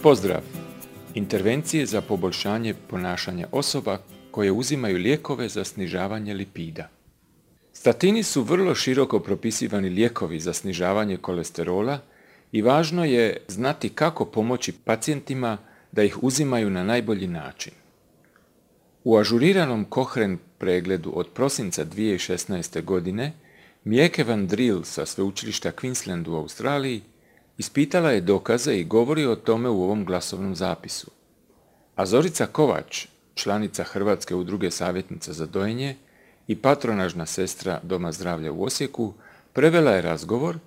Pozdrav! Intervencije za poboljšanje ponašanja osoba koje uzimaju lijekove za snižavanje lipida. Statini su vrlo široko propisivani lijekovi za snižavanje kolesterola i važno je znati kako pomoći pacijentima da ih uzimaju na najbolji način. U ažuriranom Cochrane pregledu od prosinca 2016. godine Mieke van Driel sa sveučilišta Queensland u Australiji ispitala je dokaze i govori o tome u ovom glasovnom zapisu. A Zorica Kovač, članica Hrvatske udruge savjetnica za dojenje i patronažna sestra Doma zdravlja u Osijeku, prevela je razgovor,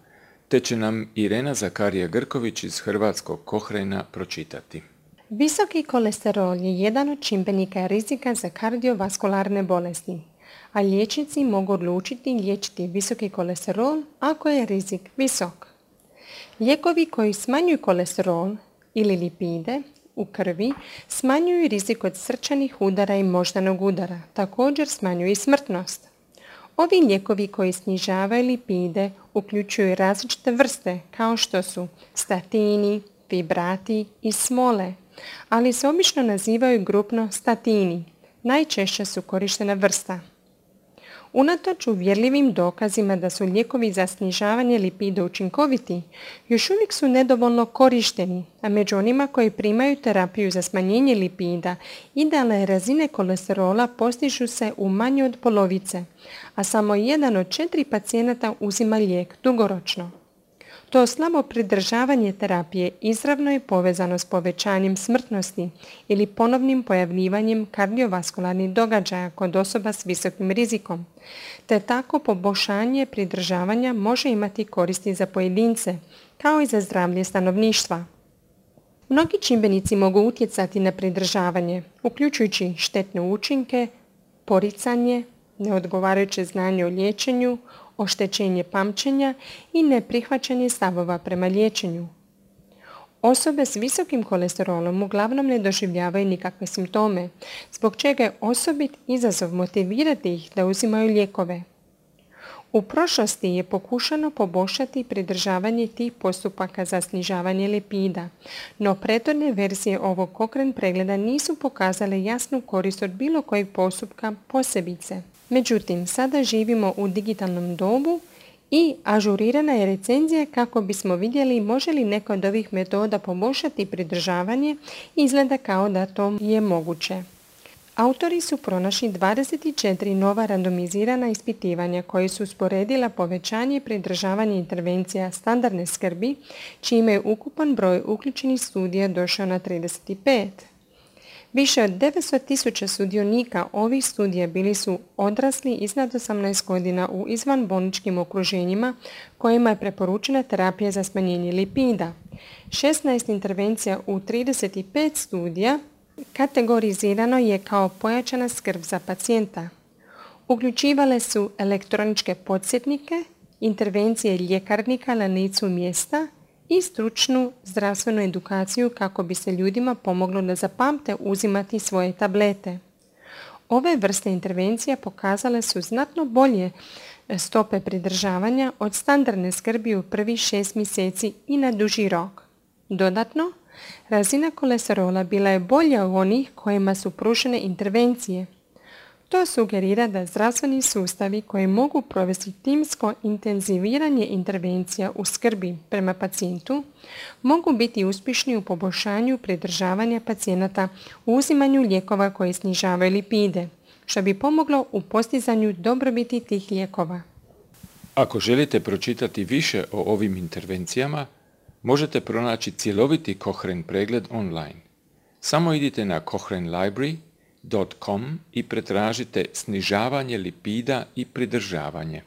te će nam Irena Zakarija-Grković iz Hrvatskog Cochrana pročitati. Visoki kolesterol je jedan od čimbenika rizika za kardiovaskularne bolesti, a liječnici mogu odlučiti liječiti visoki kolesterol ako je rizik visok. Lijekovi koji smanjuju kolesterol ili lipide u krvi smanjuju rizik od srčanih udara i moždanog udara, također smanjuju i smrtnost. Ovi lijekovi koji snižavaju lipide uključuju različite vrste kao što su statini, fibrati i smole, ali se obično nazivaju grupno statini. Najčešće su korištena vrsta. Unatoč uvjerljivim dokazima da su lijekovi za snižavanje lipida učinkoviti, još uvijek su nedovoljno korišteni, a među onima koji primaju terapiju za smanjenje lipida, idealne razine kolesterola postižu se u manje od polovice, a samo 1 od 4 pacijenata uzima lijek dugoročno. To slabo pridržavanje terapije izravno je povezano s povećanjem smrtnosti ili ponovnim pojavljivanjem kardiovaskularnih događaja kod osoba s visokim rizikom, te tako poboljšanje pridržavanja može imati koristi za pojedince, kao i za zdravlje stanovništva. Mnogi čimbenici mogu utjecati na pridržavanje, uključujući štetne učinke, poricanje, neodgovarajuće znanje o liječenju, oštećenje pamćenja i neprihvaćanje stavova prema liječenju. Osobe s visokim kolesterolom uglavnom ne doživljavaju nikakve simptome, zbog čega je osobit izazov motivirati ih da uzimaju lijekove. U prošlosti je pokušano poboljšati pridržavanje tih postupaka za snižavanje lipida, no prethodne verzije ovog Cochrane pregleda nisu pokazale jasnu korist od bilo kojeg postupka posebice. Međutim, sada živimo u digitalnom dobu i ažurirana je recenzija kako bismo vidjeli može li neka od ovih metoda poboljšati pridržavanje i izgleda kao da to je moguće. Autori su pronašli 24 nova randomizirana ispitivanja koji su usporedila povećanje i pridržavanje intervencija standardne skrbi, čime je ukupan broj uključenih studija došao na 35. Više od 900.000 sudionika ovih studija bili su odrasli iznad 18 godina u izvanbolničkim okruženjima kojima je preporučena terapija za smanjenje lipida. 16 intervencija u 35 studija kategorizirano je kao pojačana skrb za pacijenta. Uključivale su elektroničke podsjetnike, intervencije ljekarnika na licu mjesta i stručnu zdravstvenu edukaciju kako bi se ljudima pomoglo da zapamte uzimati svoje tablete. Ove vrste intervencija pokazale su znatno bolje stope pridržavanja od standardne skrbi u prvih 6 mjeseci i na duži rok. Dodatno, razina kolesterola bila je bolja u onih kojima su pružene intervencije. To sugerira da zdravstveni sustavi koji mogu provesti timsko intenziviranje intervencija u skrbi prema pacijentu mogu biti uspješni u poboljšanju pridržavanja pacijenata u uzimanju lijekova koji snižavaju lipide, što bi pomoglo u postizanju dobrobiti tih lijekova. Ako želite pročitati više o ovim intervencijama, možete pronaći cjeloviti Cochrane pregled online. Samo idite na cochranelibrary.com i pretražite snižavanje lipida i pridržavanje.